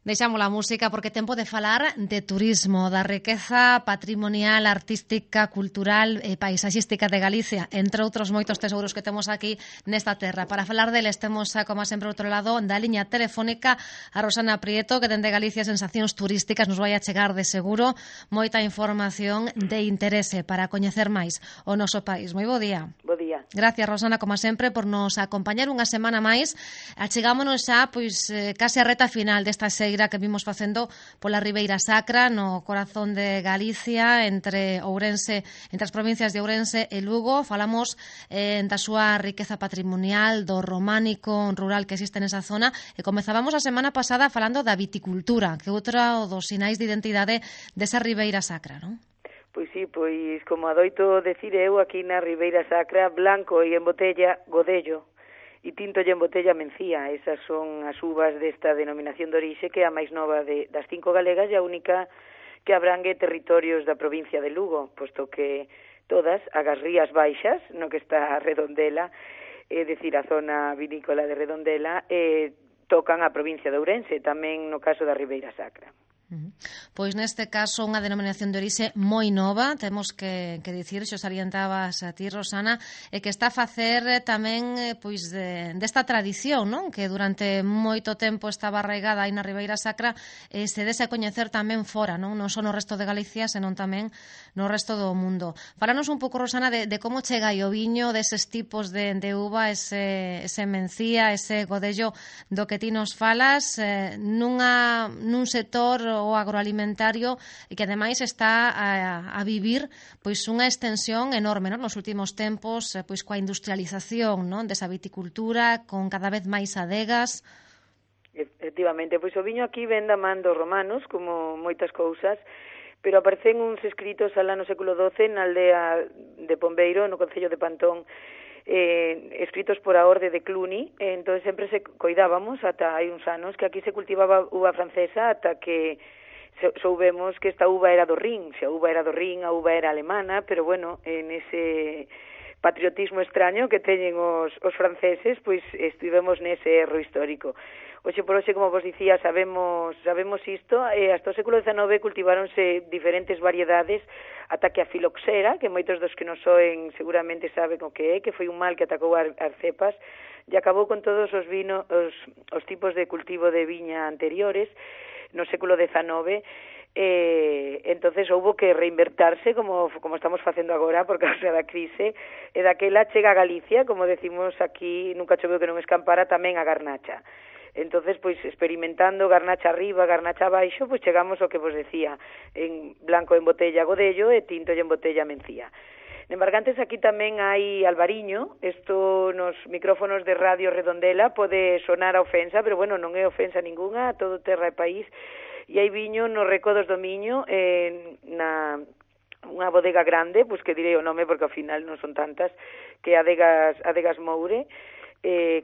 Deixamos a música porque tempo de falar de turismo, da riqueza patrimonial, artística, cultural e paisaxística de Galicia, entre outros moitos tesouros que temos aquí nesta terra. Para falar deles temos, como sempre, outro lado da liña telefónica a Rosana Prieto, que dende Galicia Sensacións Turísticas nos vai a chegar de seguro moita información de interese para coñecer máis o noso país. Moi bo día. Bo día. Gracias, Rosana, como sempre, por nos acompañar unha semana máis. Achegámonos xa, case a reta final desta xeira que vimos facendo pola Ribeira Sacra, no corazón de Galicia, entre as provincias de Ourense e Lugo. Falamos da súa riqueza patrimonial, do románico rural que existe nesa zona, e comezábamos a semana pasada falando da viticultura, que é outro dos sinais de identidade desa Ribeira Sacra, non? Pois sí, pois como adoito decir eu aquí na Ribeira Sacra, blanco e en botella Godello, e tinto e en botella Mencía. Esas son as uvas desta denominación de orixe, que é a máis nova das 5 galegas e a única que abrangue territorios da provincia de Lugo, posto que todas, as Rías Baixas, no que está a Redondela, é dicir, a zona vinícola de Redondela, tocan a provincia de Ourense, tamén no caso da Ribeira Sacra. Pois neste caso unha denominación de orixe moi nova, temos que dicir, xo salientabas a ti, Rosana, e que está a facer tamén desta tradición, non? Que durante moito tempo estaba arraigada aí na Ribeira Sacra, se dese a coñecer tamén fora, non só no resto de Galicia, senón tamén no resto do mundo. Falanos un pouco, Rosana, de como chega o viño, deses tipos de uva, ese Mencía, ese Godello do que ti nos falas, nun sector o agroalimentario e que ademais está a vivir unha extensión enorme, non? Nos últimos tempos, coa industrialización, non? Desa viticultura, con cada vez máis adegas. Efectivamente, pois o viño aquí ven da man dos romanos, como moitas cousas, pero aparecen uns escritos alá no século XII na aldea de Pombeiro, no concello de Pantón, escritos por a orde de Cluny. Entón sempre se coidábamos ata hai uns anos que aquí se cultivaba uva francesa, ata que soubemos que esta uva era do Rin. Se a uva era do Rin, a uva era alemana, pero bueno, en ese patriotismo extraño que teñen os franceses, pois estivemos nese erro histórico. Hoxe por hoxe, como vos dicía, sabemos isto, hasta o século XIX cultiváronse diferentes variedades, ata que a filoxera, que moitos dos que nos soen seguramente saben o que é, que foi un mal que atacou as cepas, e acabou con todos os tipos de cultivo de viña anteriores no século XIX. Entonces houbo que reinvertirse como estamos facendo agora por causa da crise, e daquela chega a Galicia, como decimos aquí, nunca choveu que non escampara, tamén a garnacha. Entonces, pois, experimentando garnacha arriba, garnacha abaixo, pois chegamos ao que vos decía, en blanco en botella Godello e tinto en botella Mencía. En Bargantes aquí tamén hai albariño. Isto nos micrófonos de Radio Redondela pode sonar a ofensa, pero bueno, non é ofensa ninguna, todo terra e país. E hai viño nos Recodos do Miño, na unha bodega grande, pois que direi o nome porque ao final non son tantas, que Adegas Moure,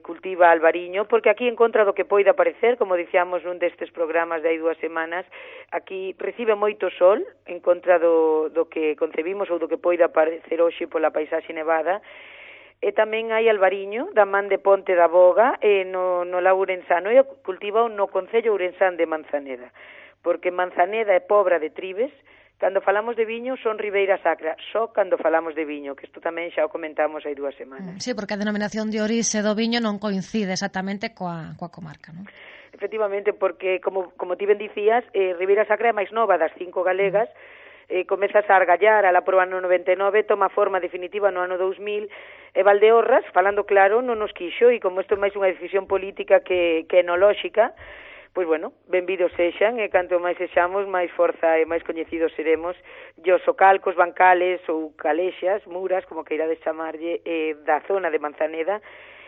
cultiva albariño, porque aquí en contra do que poida parecer, como dicíamos nun destes programas de hai 2 semanas, aquí recibe moito sol en contra do que concebimos ou do que poida parecer hoxe pola paisaxe nevada. E tamén hai albariño da man de Ponte da Boga no lago Ourensano, e cultiva no concello ourensán de Manzaneda, porque Manzaneda é pobra de tribes. Cando falamos de viño son Ribeira Sacra, só cando falamos de viño, que isto tamén xa o comentamos hai 2 semanas. Sí, porque a denominación de orixe do viño non coincide exactamente coa comarca, non? Efectivamente, porque, como ti ben dicías, Ribeira Sacra é máis nova das 5 galegas, comezas a argallar a la proba no 99, toma forma definitiva no ano 2000, e Valdeorras, falando claro, non nos quixo, e como isto é máis unha decisión política que enolóxica, pois bueno, benvidos sexan, e canto máis sexamos, máis forza e máis coñecidos seremos. E os socalcos, bancales ou calexas, muras, como queirades chamarlle, da zona de Manzaneda,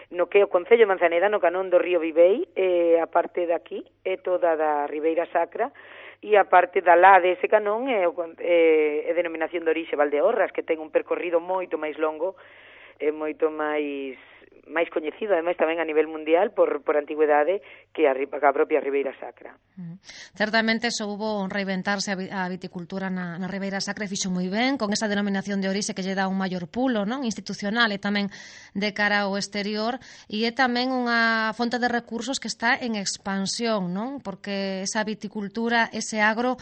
no que é o concello de Manzaneda, no canón do río Vivei, a parte daqui, é toda da Ribeira Sacra, e a parte da lá dese canón é denominación de orixe Valdeorras, que ten un percorrido moito máis longo, moito máis máis coñecido, ademais tamén a nivel mundial por antigüedade que a propia Ribeira Sacra. Certamente soubo reinventarse a viticultura na Ribeira Sacra e fixo moi ben con esa denominación de orixe que lle dá un maior pulo, non, institucional e tamén de cara ao exterior, e é tamén unha fonte de recursos que está en expansión, non? Porque esa viticultura, ese agro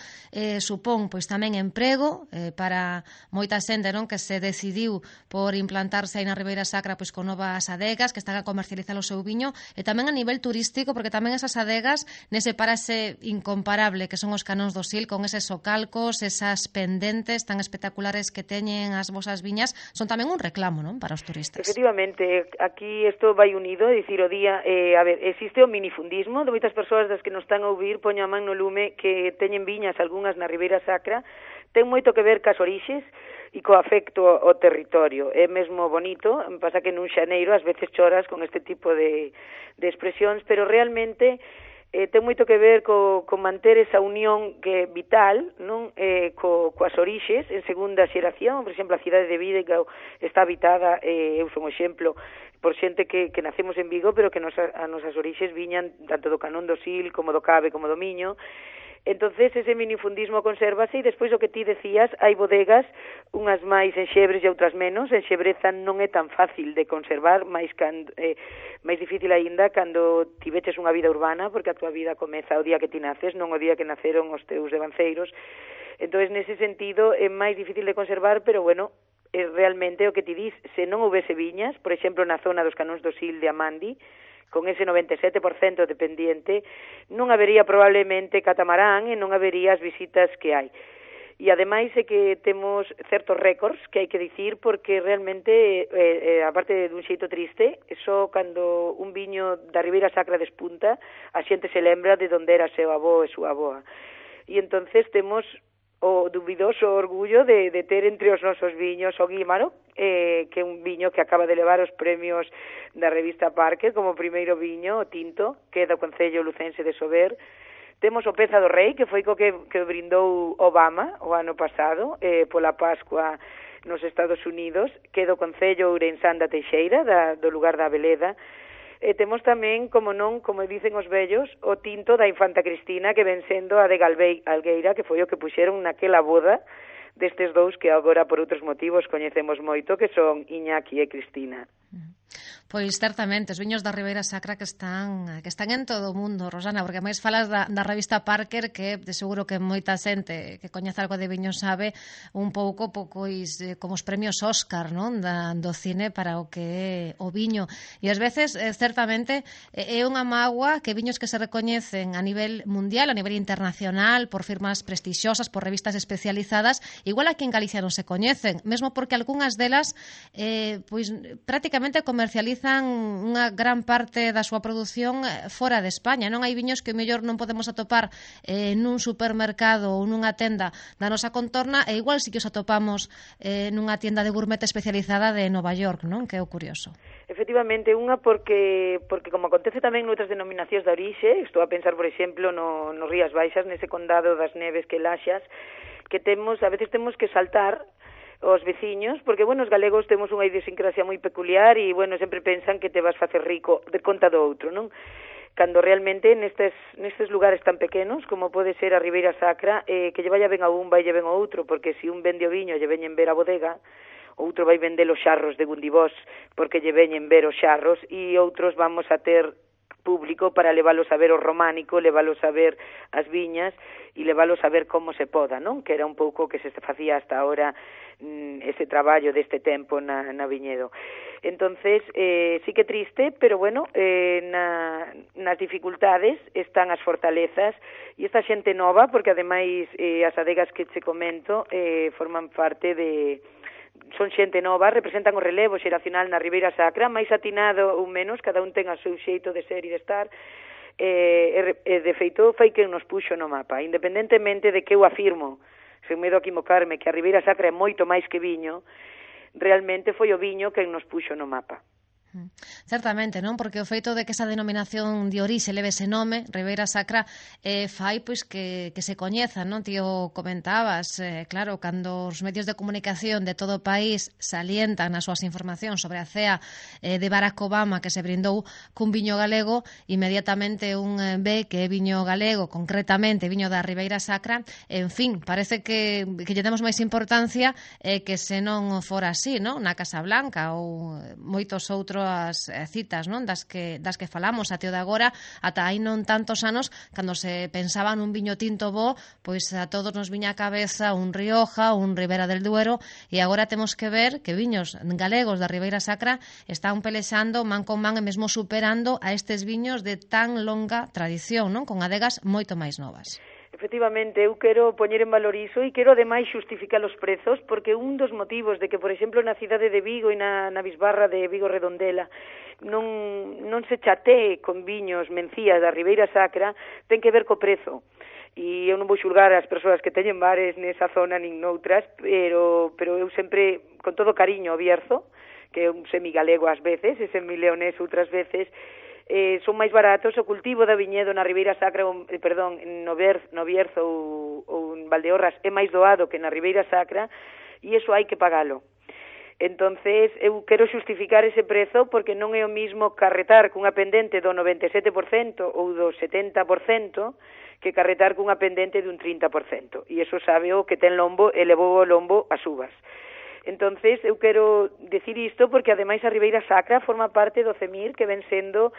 supón pois tamén emprego para moita xente, non, que se decidiu por implantarse aí na Ribeira Sacra pois con novas adegas que están a comercializar o seu viño, e tamén a nivel turístico, porque tamén esas adegas nese paraxe incomparable que son os Canóns do Sil, con eses socalcos, esas pendentes tan espectaculares que teñen as vosas viñas, son tamén un reclamo, non, para os turistas. Efectivamente, aquí isto vai unido, é dicir, o día, a ver, existe o minifundismo de moitas persoas das que nos están a ouvir, poño a man no lume que teñen viñas algunhas na Ribeira Sacra, ten moito que ver cas orixes e co afecto ao territorio. É mesmo bonito, pasa que nun xaneiro ás veces choras con este tipo de expresións, pero realmente ten moito que ver co manter esa unión que é vital, non, coas orixes en segunda xeración. Por exemplo, a cidade de Vigo está habitada, eu son un exemplo, por xente que nacemos en Vigo, pero que as nosas orixes viñan tanto do Canón do Sil, como do Cabe, como do Miño. Entonces ese minifundismo consérvase, e despois o que ti decías, hai bodegas, unhas máis en Xebres e outras menos. En Xebreza non é tan fácil de conservar, máis difícil aínda cando tiveches unha vida urbana, porque a tua vida comeza o día que ti naces, non o día que naceron os teus devanceiros. Entonces, nese sentido, é máis difícil de conservar, pero bueno, é realmente o que ti dis, se non houvese viñas, por exemplo, na zona dos Canóns do Sil de Amandi, con ese 97% dependiente, non habería probablemente catamarán e non habería as visitas que hai. E ademais é que temos certos récords que hai que dicir, porque realmente, aparte dun xeito triste, só cando un viño da Ribeira Sacra despunta, a xente se lembra de onde era seu avó e súa avoa. E entonces temos o dubidoso orgullo de ter entre os nosos viños o Guímaro, que é un viño que acaba de levar os premios da revista Parker como primeiro viño, o tinto, que é do Concello Lucense de Sober. Temos o Peza do Rei, que foi co que brindou Obama o ano pasado, pola Pascua nos Estados Unidos, que é do Concello Ourensán da Teixeira, do lugar da Abeleda. Temos tamén, como non, como dicen os vellos, o tinto da Infanta Cristina, que ven sendo a de Algueira, que foi o que puxeron naquela boda destes dous que agora por outros motivos coñecemos moito, que son Iñaki e Cristina. Pois certamente, os viños da Ribeira Sacra que están en todo o mundo, Rosana, porque máis falas da revista Parker, que de seguro que moita xente que coñece algo de viño sabe un pouco pois como os premios Óscar, non, do cine para o que é o viño. E ás veces, certamente, é unha mágoa que viños que se recoñecen a nivel mundial, a nivel internacional, por firmas prestixiosas, por revistas especializadas, igual aquí en Galicia non se coñecen, mesmo porque algunhas delas pois prácticamente comercializan unha gran parte da súa produción fora de España. Non hai viños que mellor non podemos atopar nun supermercado ou nunha tenda da nosa contorna, e igual si que os atopamos nunha tienda de gourmet especializada de Nova York, non? Que é o curioso. Efectivamente, unha porque como acontece tamén noutras denominacións de orixe, estou a pensar, por exemplo, no Rías Baixas, nese condado das Neves que Laxas, que a veces temos que saltar os veciños, porque, bueno, os galegos temos unha idiosincrasia moi peculiar e, bueno, sempre pensan que te vas facer rico de conta do outro, non? Cando realmente nestes lugares tan pequenos como pode ser a Ribeira Sacra, que lle vaya ben a un, vai lle ben ao outro, porque se un vende o viño lle veñen ver a bodega, outro vai vender os xarros de Gundibós porque lle veñen ver os xarros, e outros vamos a ter público para leválos a ver o románico, leválos a ver as viñas e leválos a ver como se poda, non? Que era un pouco que se facía hasta ahora ese traballo deste tempo na viñedo. Entonces, sí que triste, pero bueno, nas dificultades están as fortalezas e esta xente nova, porque ademais as adegas que che comento forman parte son xente nova, representan o relevo xeracional na Ribeira Sacra, máis atinado ou menos, cada un ten o seu xeito de ser e de estar, de feito foi que nos puxo no mapa, independentemente de que eu afirmo, sen medo a equivocarme, que a Ribeira Sacra é moito máis que viño, realmente foi o viño que nos puxo no mapa. Certamente, non? Porque o feito de que esa denominación de orixe leve ese nome, Ribeira Sacra, fai pois que se coñeza, non? Ti o comentabas, claro, cando os medios de comunicación de todo o país salientan as súas informacións sobre a cea de Barack Obama que se brindou cun viño galego, inmediatamente un ve que é viño galego, concretamente viño da Ribeira Sacra, en fin, parece que lle damos máis importancia que se non fora así, non? Na Casa Blanca ou moitos outros as citas, non, das que falamos até o de agora, ata hai non tantos anos, cando se pensaba nun viño tinto bo, pois a todos nos viña a cabeza un Rioja, un Ribera del Duero, e agora temos que ver que viños galegos da Ribeira Sacra están pelexando man con man e mesmo superando a estes viños de tan longa tradición, non, con adegas moito máis novas. Efectivamente, eu quero poñer en valor iso e quero ademais xustificar os prezos, porque un dos motivos de que, por exemplo, na cidade de Vigo e na bisbarra de Vigo Redondela non se chatee con viños mencías da Ribeira Sacra ten que ver co prezo. E eu non vou xulgar as persoas que teñen bares nesa zona nin noutras, pero eu sempre, con todo cariño, o Bierzo, que é un semigalego ás veces, e semileonés outras veces, son máis baratos, o cultivo da viñedo na Ribeira Sacra, no Bierzo ou en Valdeorras é máis doado que na Ribeira Sacra, e iso hai que pagalo. Entonces, eu quero xustificar ese prezo porque non é o mismo carretar cunha pendente do 97% ou do 70% que carretar cunha pendente dun 30%. E iso sabe o que ten lombo e levou o lombo as uvas. Entonces, eu quero decir isto porque ademais a Ribeira Sacra forma parte do CEMIR, que ven sendo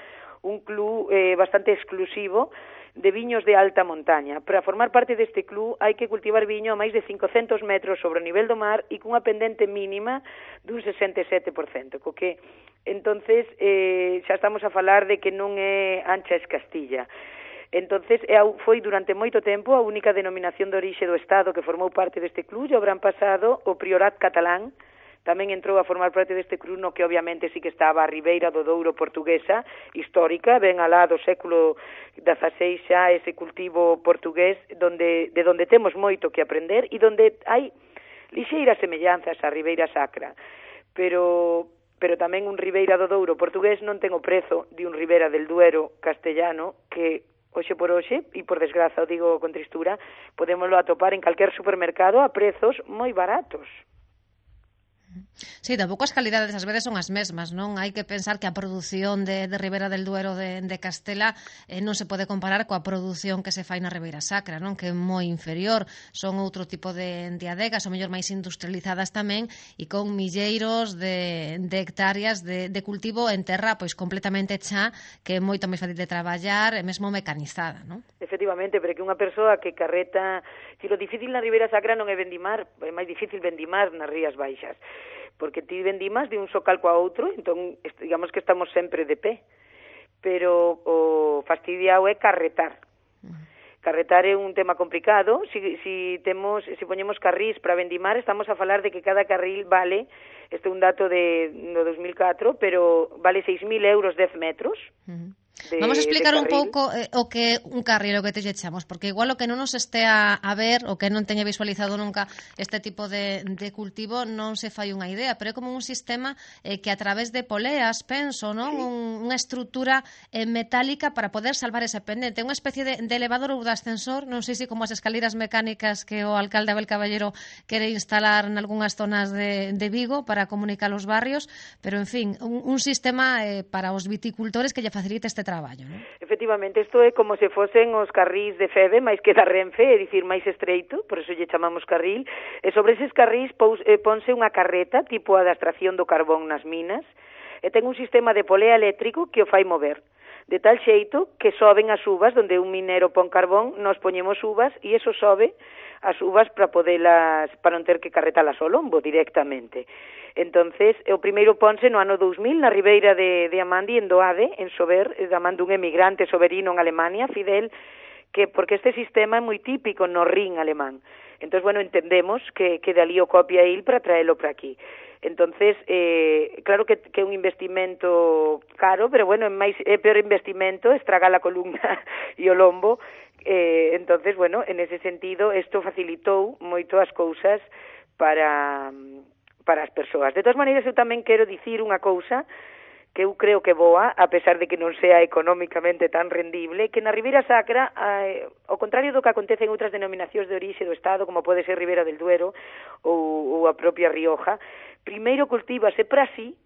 un club bastante exclusivo de viños de alta montaña. Para formar parte deste club hai que cultivar viño a máis de 500 metros sobre o nivel do mar e cunha pendente mínima dun 67%, co que entonces xa estamos a falar de que non é ancha es Castilla. Entonces, foi durante moito tempo a única denominación de orixe do Estado que formou parte deste club, e o verán pasado o Priorat catalán tamén entrou a formar parte deste club, no que obviamente sí que estaba a Ribeira do Douro portuguesa, histórica, ben alá do século XVI xa ese cultivo portugués, de donde temos moito que aprender e donde hai lixeiras semellanzas á Ribeira Sacra, pero tamén un Ribeira do Douro portugués non ten o prezo de un Ribera del Duero castellano que hoxe por hoxe, e por desgraza o digo con tristura, podémoslo atopar en calquer supermercado a prezos moi baratos. Sí, tampouco as calidades ás veces son as mesmas, non? Hai que pensar que a produción de Ribera del Duero de Castela non se pode comparar coa produción que se fai na Ribeira Sacra, non? Que é moi inferior, son outro tipo de adegas, ou mellor máis industrializadas tamén, e con milleiros de hectáreas de cultivo en terra pois completamente xa, que é moito máis fácil de traballar e mesmo mecanizada, non? Efectivamente, pero que unha persoa que carreta... Si lo difícil na Ribeira Sacra non é vendimar, é máis difícil vendimar nas Rías Baixas, porque ti vendimas de un socal coa outro, entón, digamos que estamos sempre de pé, pero o fastidiado é carretar. Carretar é un tema complicado, si poñemos carrís para vendimar, estamos a falar de que cada carril vale, este é un dato no 2004, pero vale 6.000 euros 10 metros. Vamos a explicar un pouco o que un carril, o que te echamos, porque igual o que non nos estea a ver, o que non teña visualizado nunca este tipo de cultivo, non se fai unha idea, pero é como un sistema que a través de poleas, penso, non? Sí. Unha estrutura metálica para poder salvar ese pendente, unha especie de elevador ou de ascensor, non sei se como as escaleras mecánicas que o alcalde Abel Caballero quere instalar en algunhas zonas de Vigo para comunicar os barrios, pero en fin, un sistema para os viticultores que lle facilite este traballo, non? Efectivamente, isto é como se fosen os carrís de Feve, máis que da Renfe, é dicir, máis estreito, por eso lle chamamos carril, e sobre eses carrís ponse unha carreta, tipo a da extracción do carbón nas minas, e ten un sistema de polea eléctrico que o fai mover, de tal xeito que soben as uvas, donde un minero pon carbón, nos poñemos uvas, e eso sobe as uvas para non ter que carretalas ao lombo directamente. Entonces, o primeiro ponse no ano 2000 na Ribeira de Amandi, en Doade, en Sober, da man dun emigrante soberino en Alemania, Fidel, porque este sistema é moi típico no Rin alemán. Entonces, bueno, entendemos que dali o copia il para traelo para aquí. Entonces, claro que é un investimento caro, pero bueno, é peor investimento estragar a columna e o lombo. Entonces, bueno, en ese sentido, isto facilitou moito as cousas para as persoas. De todas maneiras, eu tamén quero dicir unha cousa que eu creo que boa, a pesar de que non sea económicamente tan rendible, que na Ribeira Sacra, ao contrario do que acontece en outras denominacións de orixe do Estado, como pode ser Ribera del Duero ou a propia Rioja, primeiro cultívase para sí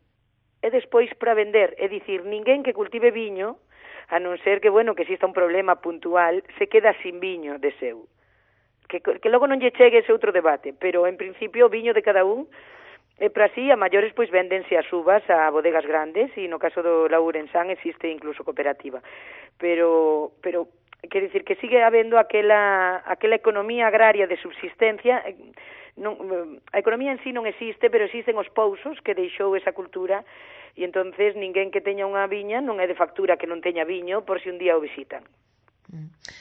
e despois para vender. É dicir, ninguén que cultive viño, a non ser que, bueno, que exista un problema puntual, se queda sin viño de seu. Que logo non lle chegue ese outro debate, pero en principio o viño de cada un e para así, a maiores, pois véndense as uvas a bodegas grandes e no caso do Laurensán existe incluso cooperativa. Pero quer dicir que sigue habendo aquela economía agraria de subsistencia. A economía en sí non existe, pero existen os pousos que deixou esa cultura e entonces ninguén que teña unha viña non é de factura que non teña viño por si un día o visitan.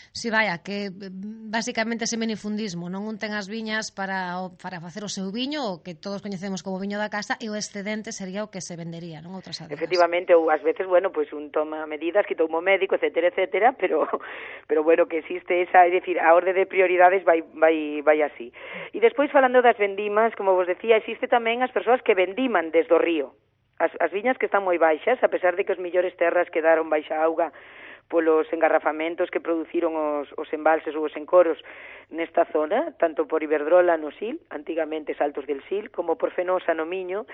Si vaya, que basicamente ese minifundismo, non un ten as viñas para facer o seu viño, o que todos coñecemos como viño da casa, e o excedente sería o que se vendería, non outras adegas. Efectivamente, ou ás veces, bueno, pois un toma medidas, quita un médico, etcétera, pero bueno, que existe esa, é dicir, a orde de prioridades vai así. E despois, falando das vendimas, como vos decía, existe tamén as persoas que vendiman desde o río. As viñas que están moi baixas, a pesar de que os millores terras quedaron baixa auga polos engarrafamentos que produciron os embalses ou os encoros nesta zona, tanto por Iberdrola no Sil, antigamente Saltos del Sil, como por Fenosa no Miño,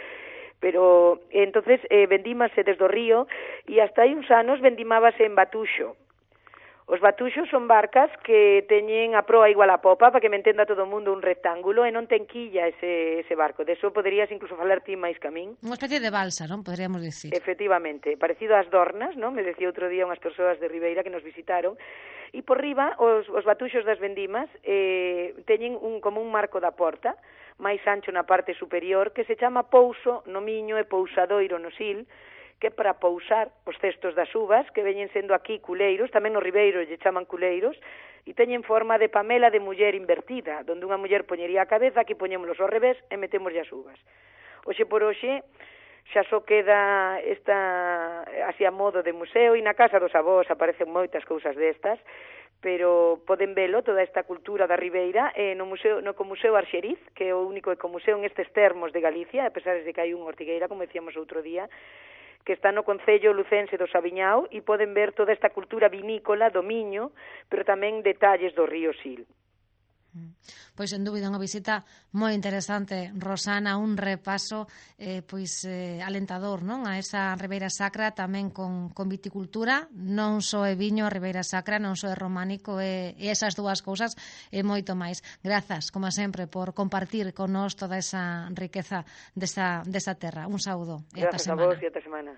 pero entonces vendímase desde o río e hasta hai uns anos vendimábase en Batuxo. Os batuxos son barcas que teñen a proa igual a popa, para que me entenda todo o mundo, un rectángulo, e non ten quilla ese barco. De eso poderías incluso falar ti máis que a min. Unha especie de balsa, non? Poderíamos dicir. Efectivamente, parecido ás dornas, non? Me decía outro día unhas persoas de Ribeira que nos visitaron. E por riba, os batuxos das vendimas teñen como un marco da porta, máis ancho na parte superior, que se chama pouso no Miño e pousadoiro no Sil, que é para pousar os cestos das uvas, que veñen sendo aquí culeiros, tamén no Ribeiro lle chaman culeiros, e teñen forma de pamela de muller invertida, donde unha muller poñería a cabeza, aquí poñémolos ao revés e metémoslle as uvas. Hoxe por hoxe xa só queda esta así a modo de museo, e na casa dos avós aparecen moitas cousas destas, pero poden velo toda esta cultura da Ribeira no Museo Arxeriz, que é o único ecomuseo en estes termos de Galicia, a pesar de que hai un Ortigueira, como decíamos outro día, que está no concello lucense do Sabiñao, e poden ver toda esta cultura vinícola do Miño, pero tamén detalles do río Sil. Pois, sen dúbida, unha visita moi interesante, Rosana, un repaso alentador, non? A esa Ribeira Sacra tamén con viticultura, non só é viño a Ribeira Sacra, non só é románico, e esas dúas cousas e moito máis. Grazas, como sempre, por compartir con nós toda esa riqueza desa terra. Un saúdo e ata semana. Grazas a vos e ata semana.